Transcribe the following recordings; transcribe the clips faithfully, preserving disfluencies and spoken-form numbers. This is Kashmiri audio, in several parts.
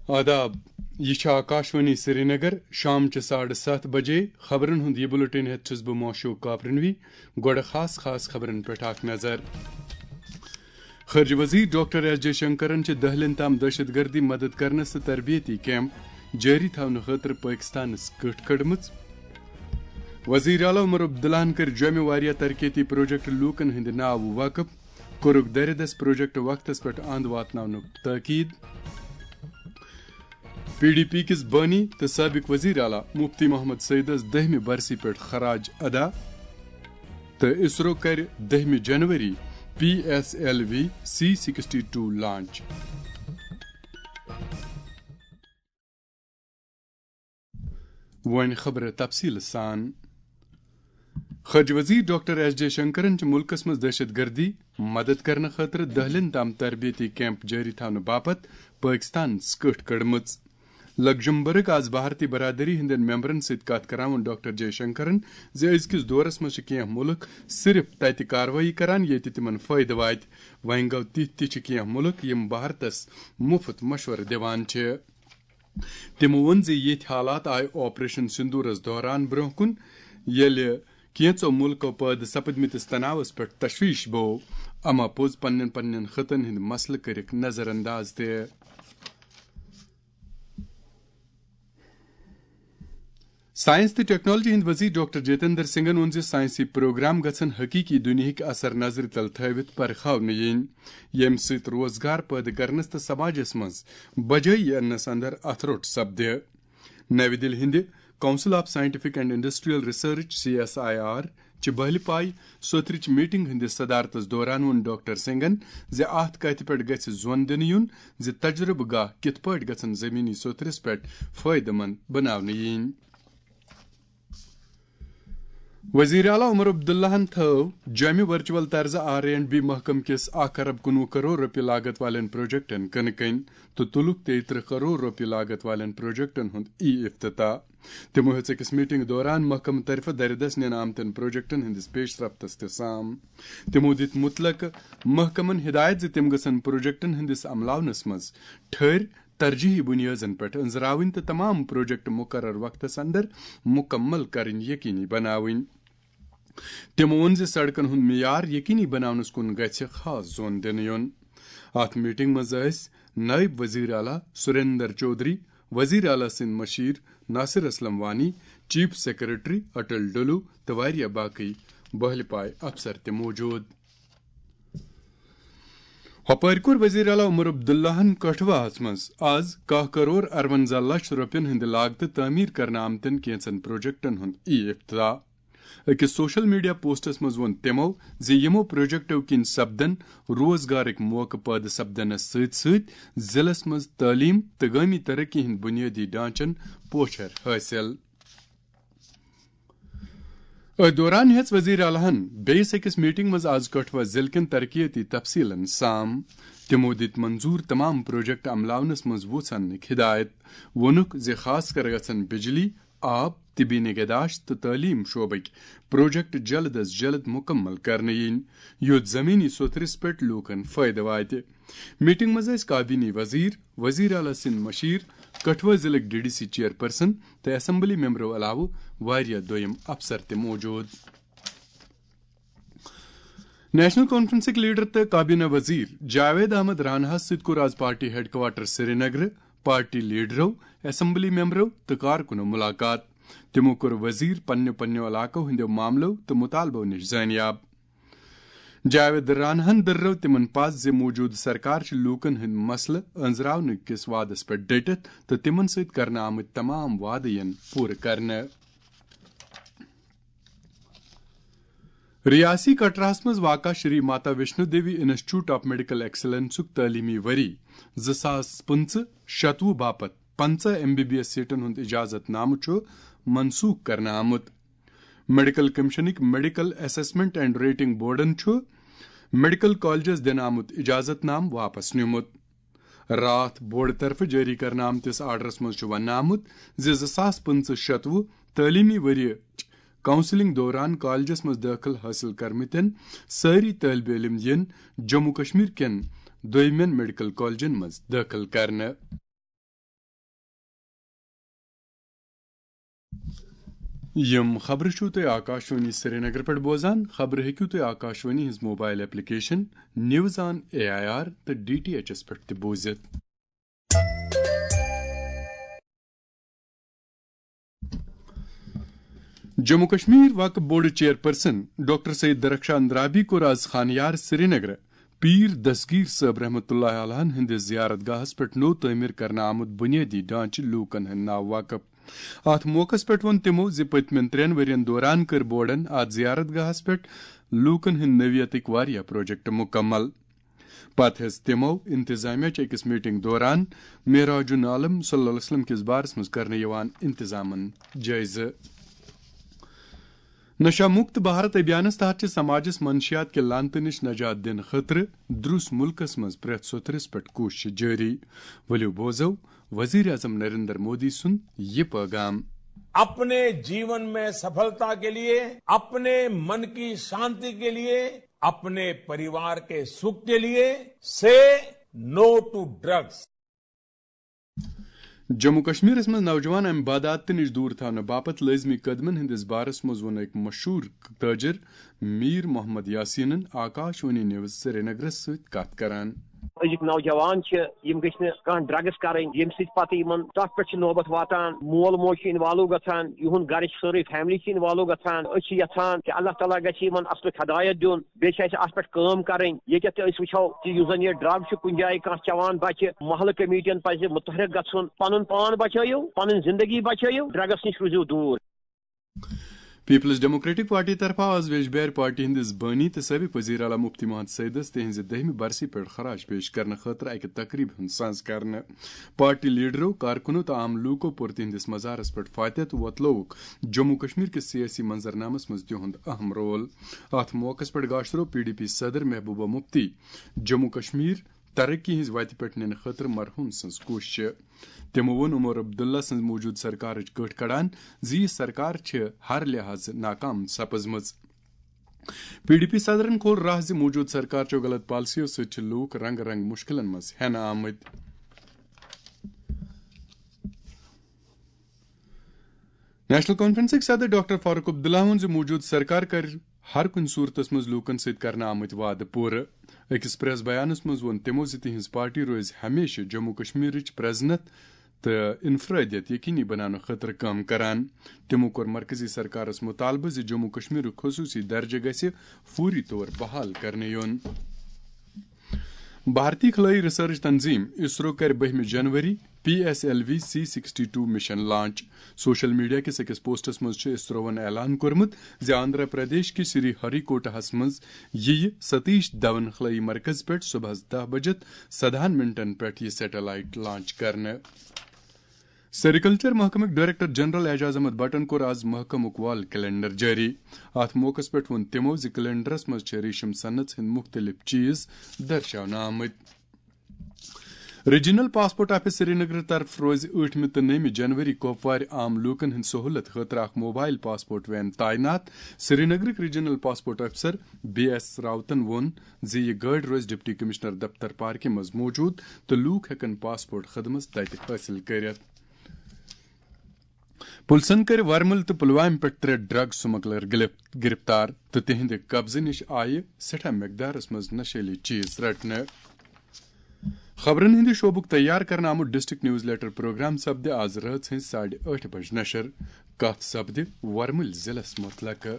آداب، یہِ چھِ آکاشوانی سرینگر۔ شام چہِ ساڑٕ ستھ بجے خبرن ہُنٛد یہِ بُلٹن ہٮ۪تھ چھُس بہٕ موشوق کاپرنوی۔ گۄڈٕ خاص خاص خبرن پٮ۪ٹھ اکھ نظر۔ خارجہ وزیر ڈاکٹر ایس جے شنکرن چھِ دہلین تام دہشت گردی مدد کرنس تہٕ تربیتی کیمپ جٲری تھاونہٕ خٲطرٕ پٲکستانس کٔٹھ کٔڑمٕژ۔ وزیر اعلیٰ عمر عبداللہن کٔرۍ جوٚمہِ واریاہ ترقیتی پروجیکٹ لوٗکن ہٕنٛدِ ناوٕ وقف، کوٚرُکھ دَرِ دَس پروجیکٹ وقتس پٮ۪ٹھ اند واتناونُک تاکید۔ پی ڈی پی کِس بٲنی تہٕ سابق وزیر اعلیٰ مفتی محمد سعیدس دٔہمہِ برسی پٮ۪ٹھ خراج ادا۔ تہٕ اسرو کرِ دٔہمہِ جنوری P S L V C sixty two launch. وۄنۍ خبرٕ تفصیٖل سان۔ خارجہ وزیر ڈاکٹر ایس جے شنکرن چھِ مُلکس منٛز دہشت گردی مدد کرنہٕ خٲطرٕ دہلین تام تربیتی کیمپ جٲری تھاونہٕ باپتھ پٲکستانس کٔٹھ کٔڑمٕژ۔ لگزمبرگ۔ آز بھارتی برادری ہٕنٛدٮ۪ن ممبرن سۭتۍ کتھ کران ووٚن ڈاکٹر جے شنکرن زِ أزکِس دورس منٛز چھِ کینٛہہ مُلک صرف تتہِ کاروٲیی کران، ییٚتہِ تِمن فٲیدٕ واتہِ۔ وۄنۍ گوٚو، تِتھۍ تہِ چھِ کینٛہہ مُلک، یِم بھارتس مُفت مشورٕ دِوان چھِ۔ تِمو ووٚن زِ یِتھۍ حالات آیہِ آپریشن سندورس دوران برونٛہہ کُن، ییٚلہِ کینٛژو مُلکو پٲدٕ سپدمٕتِس تناوس پٮ۪ٹھ تشویش بوو۔ اما پوٚز پننٮ۪ن پننٮ۪ن خطن ہٕنٛدۍ مسلہٕ کٔرِکھ نظر انداز تہِ۔ ساینس تہٕ ٹیکنالوجی ہٕنٛدۍ وزیر ڈاکٹر جتیندر سنگھن ووٚن زِ ساینسی پروگرام گژھن حقیقی دُنیاہٕکۍ اثر نظرِ تل تھٲوِتھ پرکھاونہٕ یِنۍ، ییٚمہِ سۭتۍ روزگار پٲدٕ کرنس تہٕ سماجس منٛز بجٲیی اننس اندر اتھٕ روٚٹ سپدِ۔ نَوِ دِلہِ ہٕنٛدِ Council of Scientific and Industrial Research، C S I R, چہِ بہلہِ پایہِ سوتھرٕچ میٹنگ ہٕنٛدِس صدارتس دوران ووٚن ڈاکٹر سنگھن زِ اتھ کتھِ پٮ۪ٹھ گژھِ زون دِنہٕ یُن زِ تجربہٕ گاہ کِتھ پٲٹھۍ گژھن زمینی سوتھرِس پٮ۪ٹھ فٲیدٕ مند بناونہٕ یِنۍ۔ وزیر اعلیٰ عمر عبداللہن تھٲو جوٚمہِ ورچوئل طرزٕ آر اینڈ بی محکمہٕ کِس اکھ ارب کُنوُہ کرور رۄپیہِ لاگت والٮ۪ن پروجیکٹن کٕنہٕ کٔنۍ تہٕ تُلُکھ تیٚیہِ ترٕہ کرور رۄپیہِ لاگت والٮ۪ن پروجیکٹن ہُنٛد ای افتتاح۔ تِمو ہیٚژ أکِس میٹنگ دوران محکمہٕ طرفہٕ دَرِ دَس نِنہٕ آمتٮ۪ن پروجیکٹن ہٕنٛدِس پیش رفتس تہِ سام۔ تِمو دِتۍ مُتلقہٕ محکمن ہدایت زِ تِم گژھن پروجیکٹن ہٕنٛدِس عملاونس منٛز ٹھٔرۍ ترجیحی بُنیٲدن پٮ۪ٹھ أنٛزراوٕنۍ تہٕ تمام پروجیکٹ مقرر وقتس اندر مکمل کرٕنۍ یقینی بناوٕنۍ۔ تِمو ووٚن زِ سڑکن ہُنٛد معیار یقینی بناونس کُن گژھِ خاص زون دِنہٕ یُن۔ اتھ میٹنگ منٛز ٲسۍ نٲیِب وزیر اعلیٰ سریندر چودھری، وزیر اعلیٰ سٕنٛدۍ مشیر ناصر اسلم وانی، چیف سیکرٹری اٹل ڈولو تہٕ واریاہ باقٕے بہلہِ پایہِ افسر تہِ موجود۔ ہۄپٲرۍ کوٚر وزیر اعلیٰ عمر عبداللہن کٹھواہس منٛز آز کاہ کرور ارونزہ لچھ رۄپین ہٕنٛدِ لاگتہٕ تعمیٖر کرنہٕ آمتٮ۪ن کینٛژن پروجیکٹن ہُنٛد ای افتتاح۔ أکِس سوشل میڈیا پوسٹس منٛز ووٚن تِمو زِ یِمو پروجیکٹو کِنۍ سپدن روزگارٕکۍ موقعہٕ پٲدٕ سپدنس سۭتۍ سۭتۍ ضلعس منٛز تعلیٖم تہٕ گٲمی ترقی ہٕنٛدۍ بُنیٲدی ڈھانچن پوچھر حٲصِل۔ أتھۍ دوران ہیٚژ وزیر اعلیٰ ہن بیٚیِس أکِس میٹنگ منٛز آز کٹھوا ضلعہٕ کٮ۪ن ترقیتی تفصیلن سام۔ تِمو دِتۍ منظور تمام پروجیکٹ عملاونس منٛز وُژھ اننٕکۍ ہدایت۔ ووٚنُکھ زِ خاص کر گژھن بجلی، آب، طبی نگہداشت تہٕ تعلیٖم شعبٕکۍ پروجیکٹ جلد از جلد مکمل کرنہٕ یِنۍ، یُتھ زمینی سوتھرِس پٮ۪ٹھ لوٗکن فٲیدٕ واتہِ۔ میٹنگ منٛز ٲسۍ کابینی وزیر، وزیر اعلیٰ سٕنٛدۍ مشیر، Kathua ضلعٕکۍ D D C chairperson تہٕ اسمبلی ممبرو علاوٕ واریاہ دوٚیم افسر تہِ موجود۔ نیشنل کانفرنسٕکۍ لیڈر تہٕ کابینہ وزیر جاوید احمد راناہس سۭتۍ کوٚر آز پارٹی ہیڈ کوارٹر سرینگرٕ پارٹی لیڈرو، اسمبلی ممبرو تہٕ کارکنو ملاقات۔ تِمو کوٚر وزیر پننیو پننیو علاقو ہٕنٛدیو معاملو تہٕ مطالبو نِش زٲنیاب۔ جاوید راناہن دٔررٲو تِمن پژھ زِ موجودٕ سرکار چھِ لوٗکن ہٕنٛدۍ مسلہٕ أنٛزراونہٕ کِس وعدس پٮ۪ٹھ ڈٔٹِتھ تہٕ تِمن سۭتۍ کرنہٕ آمٕتۍ تمام وعدٕ یِن پوٗرٕ کرنہٕ۔ ریاسی کٹراہس منٛز واقع Shri Mata Vaishno Devi institute of medical ایکسلنسُک تعلیمی ؤری زٕ ساس پٕنٛژٕہ شتوُہ باپتھ پنٛژاہ ایم بی بی ایس سیٹن ہُنٛد اجازت نامہٕ چھُ منسوخ کرنہٕ آمُت۔ میڈیکل کمیشنٕکۍ میڈیکل اسسمنٹ اینڈ ریٹنگ بورڈن چھُ میڈیکل کالجس دِنہٕ آمُت اجازت نامہٕ واپس نیومُت۔ راتھ بورڈ طرفہٕ جٲری کرنہٕ آمتِس آرڈرس منٛز چھُ وننہٕ آمُت زِ زٕ ساس پٕنٛژٕہ شتوُہ تعلیمی ؤریٕچ کاؤنسلنگ دوران کالجس منٛز دٲخل حٲصِل کٔرمٕتٮ۪ن سٲری طٲلبہِ علم یِن جموں کشمیر کٮ۪ن دوٚیمٮ۪ن میڈیکل کالجن منٛز دٲخل کرنہٕ۔ یِم خبرٕ چھِو تُہۍ آکاشوانی سرینگر پٮ۪ٹھ بوزان۔ خبرٕ ہیٚکِو تُہۍ آکاشوانی ہٕنٛز mobile application news on A I R تہٕ ڈی ٹی ایچ ایس پٮ۪ٹھ تہِ بوٗزِتھ۔ Jammu Kashmir Waqf board chairperson doctor Syed Darakhshan Andrabi کوٚر آز خانیار سرینگر پیر دستگیر صٲب رحمتہ اللہ علیہ ہٕنٛدِس زیارت گاہس پٮ۪ٹھ نوٚو تعمیٖر کرنہٕ آمُت بُنیٲدی ڈھانچہٕ لوٗکن ہٕنٛدِ ناوٕ وقف۔ اتھ موقعس پٮ۪ٹھ ووٚن تِمو زِ پٔتمٮ۪ن ترٛٮ۪ن ؤرین دوران کٔرۍ بورڈن اتھ زیارت گاہس پٮ۪ٹھ لوٗکن ہٕنٛدِ نوعیتٕکۍ واریاہ پروجیکٹ مُکمل۔ پتہٕ ہیٚژ تِمو انتظامیہ چہِ أکِس میٹنگ دوران معراج العالم صلی اللہ علیہ وسلم کِس بارس منٛز کرنہٕ یِوان انتظامن جٲیزٕ۔ نشہ مکت بھارت ابھیانس تحت چھِ سماجس منشیات کہِ لعنتہٕ نِش نجات دِنہٕ خٲطرٕ درُس مُلکس منٛز پرٛٮ۪تھ سوٚتھرِس پٮ۪ٹھ کوٗشش جٲری۔ ؤلِو بوزو وزیر اعظم نریندر مودی سُنٛد یہِ پٲغام۔ अपने जीवन में सफलता के लिए, अपने मन की शांति के लिए, अपने परिवार के सुख के लिए, से नो टू ड्रग्स। جموں کشمیرس منٛز نوجوان امہِ بدعاتہٕ نِش دوٗر تھاونہٕ باپتھ لٲزمی قدمن ہٕنٛدِس بارس منٛز ووٚن أکۍ مشہوٗر تٲجر میر محمد یاسینن آکاش وانی نیوز سرینگرس سۭتۍ کتھ کران۔ أزِکۍ نوجوان چھِ، یِم گٔژھۍ نہٕ کانٛہہ ڈرگس کرٕنۍ، ییٚمہِ سۭتۍ پتہٕ یِمن تتھ پٮ۪ٹھ چھِ نوبت واتان، مول موج چھُ انوالو گژھان، یِہُنٛد گرٕ چھُ سٲرٕے فیملی چھِ انوالو گژھان۔ أسۍ چھِ یژھان کہِ اللہ تعالیٰ گژھِ یِمن اصلٕچ ہدایت دیُن، بیٚیہِ چھِ اَسہِ اَتھ پٮ۪ٹھ کٲم کَرٕنۍ۔ ییٚتٮ۪تھ تہِ أسۍ وٕچھو کہِ یُس زَن یہِ ڈرگ چھُ کُنہِ جایہِ کانٛہہ چٮ۪وان بَچہِ، محلہٕ کمیٹین پَزِ مُتحرک گژھُن، پَنُن پان بَچٲیِو، پَنٕنۍ زِندگی بَچٲیِو، ڈرگس نِش روٗزِو دوٗر۔ پیپلز ڈیموکریٹک پارٹی طرفہٕ آز ویجبیارِ پارٹی ہٕنٛدِس بٲنی تہٕ سٲبق وزیر اعلیٰ مفتی محمد سعیدس تِہنٛزِ دٔہمہِ برسی پٮ۪ٹھ خراج پیش کرنہٕ خٲطرٕ اکہِ تقریبہِ ہُنٛد ساز کرنہٕ۔ پارٹی لیڈرو، کارکنو تہٕ عام لوٗکو پوٚر تِہنٛدِس مزارس پٮ۪ٹھ فاتحہ تہٕ وۄتلووُکھ جموں کشمیر کِس سیٲسی منظرنامس منٛز تِہُنٛد اہم رول۔ اتھ موقعس پٮ۪ٹھ گاشرو پی ڈی پی صدر محبوبہ مفتی جموں کشمیر ترقی ہٕنٛز وتہِ پٮ۪ٹھ نِنہٕ خٲطرٕ مرحوم سٕنٛز کوٗشش۔ تِمو ووٚن عمر عبداللہ سٕنٛز موٗجوٗدٕ سرکارٕچ کٔٹھۍ کڑان زِ یہِ سرکار چھِ ہر لحاظہٕ ناکام سپٕزمٕژ۔ پی ڈی پی صدرن کھول راہ زِ موٗجوٗدٕ سرکار چٮ۪و غلط پالیسیو سۭتۍ چھِ لوٗکھ رنگہٕ رنگہٕ مُشکلن منٛز ہٮ۪نہٕ آمٕتۍ۔ نیشنل کانفرنسٕکۍ صدر ڈاکٹر فاروق عبداللہ ووٚن زِ موٗجوٗدٕ سرکار کرِ ہر کُنہِ صوٗرتس منٛز لوٗکن سۭتۍ کرنہٕ آمٕتۍ وعدٕ پوٗرٕ۔ أکِس پریس بیانس منٛز ووٚن تِمو زِ تِہنٛز پارٹی روزِ ہمیشہٕ جموں کشمیرٕچ پرزنت تہٕ انفرادیت یقینی بناونہٕ خٲطرٕ کٲم کران۔ تِمو کوٚر مرکزی سرکارس مطالبہٕ زِ جموں کشمیرُک خصوٗصی درجہٕ گژھِ فوری طور بحال کرنہٕ یُن۔ بھارتی خلٲیی ریسرچ تنظیم اسرو کرِ بٔہمہِ جنوری P S L V C sixty two mission launch. Social media کِس أکِس پوسٹس منٛز چھُ اسروون اعلان کوٚرمُت زِ آندھرا پردیش کِس سری ہری کوٹاہس منٛز یِیہِ ستیش دھون خلٲیی مرکز پٮ۪ٹھ صبحس دَہ بجے سدہَن منٹن پٮ۪ٹھ یہِ سیٹلائٹ لانچ کرنہٕ۔ سیریکلچر محکمٕکۍ ڈائریکٹر جنرل اعجاز احمد بٹن کوٚر آز محکمُک وال کیلنڈر جٲری۔ اتھ موقعس پٮ۪ٹھ ووٚن تِمو زِ کیلنڈرس منٛز چھِ ریشم صنعت ہٕنٛدۍ مُختٔلِف چیٖز درشاونہٕ آمٕتۍ۔ ریجنل پاسپورٹ آفس سرینگر طرف روزِ ٲٹھمہِ تہٕ نٔومہِ جنوری کۄپوارِ عام لوٗکن ہٕنٛدِ سہوٗلت خٲطرٕ اکھ موبایل پاسپورٹ وین تعینات۔ سرینگرٕکۍ ریجنل پاسپورٹ افسر بی ایس راوتن ووٚن زِ یہِ گٲڑۍ روزِ ڈپٹی کمشنر دفتر پارکہِ منٛز موجود تہٕ لوٗکھ ہٮ۪کن پاسپورٹ خدمت تتہِ حٲصِل کٔرِتھ۔ پُلسن کٔرۍ ورمُل تہٕ پلوامہِ پٮ۪ٹھ ترٛےٚ ڈرگ سمگلر گلف-، گرفتار تہٕ تِہنٛدِ قبضہٕ نِش آیہِ سٮ۪ٹھاہ مقدارس منٛز نشیلی چیز رٹنہٕ۔ خبرن ہٕنٛدِ شعبُک تیار کرنہٕ آمُت ڈسٹرکٹ نیوز لیٹر پروگرام سپدِ آز رٲژ ہٕنٛزِ ساڑِ ٲٹھِ بجہِ نشر۔ کتھ سپدِ ورمُلۍ ضلعس متعلقہٕ۔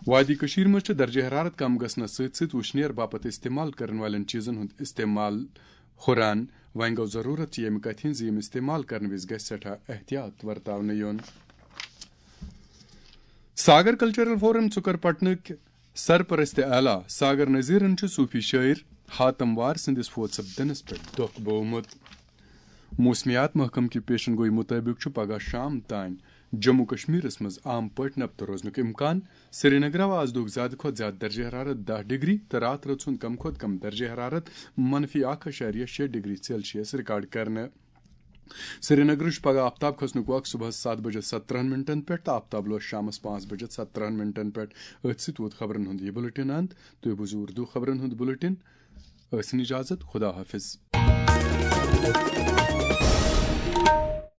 وادی کٔشیٖر منٛز چھِ درجہ حرارت کم گژھنس سۭتۍ سۭتۍ وُشنیر باپتھ استعمال کرن والٮ۪ن چیزن ہُنٛد استعمال ہُران۔ وۄنۍ گوٚو ضروٗرت چھِ ییٚمہِ کتھِ ہٕنٛز زِ یِم استعمال کرنہٕ وِزِ گژھِ سٮ۪ٹھاہ احتیاط ورتاونہٕ یُن۔ ساگر کلچرل فورم ژُکر پٹنٕکۍ سرپرست اعلیٰ ساگر نذیرن چھُ صوفی شٲعر حاتم وار سٕنٛدِس فوت سپدنس پٮ۪ٹھ دۄکھ بوومُت۔ موسمیات محکمہٕ کہِ پیشن گویی مُطٲبِق چھُ پگہہ شام تام جموں کشمیرس منٛز عام پٲٹھۍ نبتہٕ روزنُک امکان۔ سرینگرٕ آز دۄہُک زیادٕ کھۄتہٕ زیادٕ درجہ حرارت دَہ ڈگری تہٕ راتہٕ رٲژ ہُنٛد کم کھۄتہٕ کم درجہ حرارت منفی اکھ اعشاریہ شےٚ ڈگری سیلسیس ریکارڈ کرنہٕ۔ سرینگرٕچ پگہہ آفتاب کھسنُک وق صبحس ستھ بجے ستترہن منٹن پٮ۪ٹھ تہٕ آفتاب لوس شامس پانٛژھ بجے ستترہن منٹن پٮ۪ٹھ۔ أتھۍ سۭتۍ ووت خبرن ہُنٛد یہِ بُلٹن اند۔ تُہۍ بوٗزِو اردو خبرن ہُنٛد بُلٹن۔ ٲسِن اجازت، خدا حافظ۔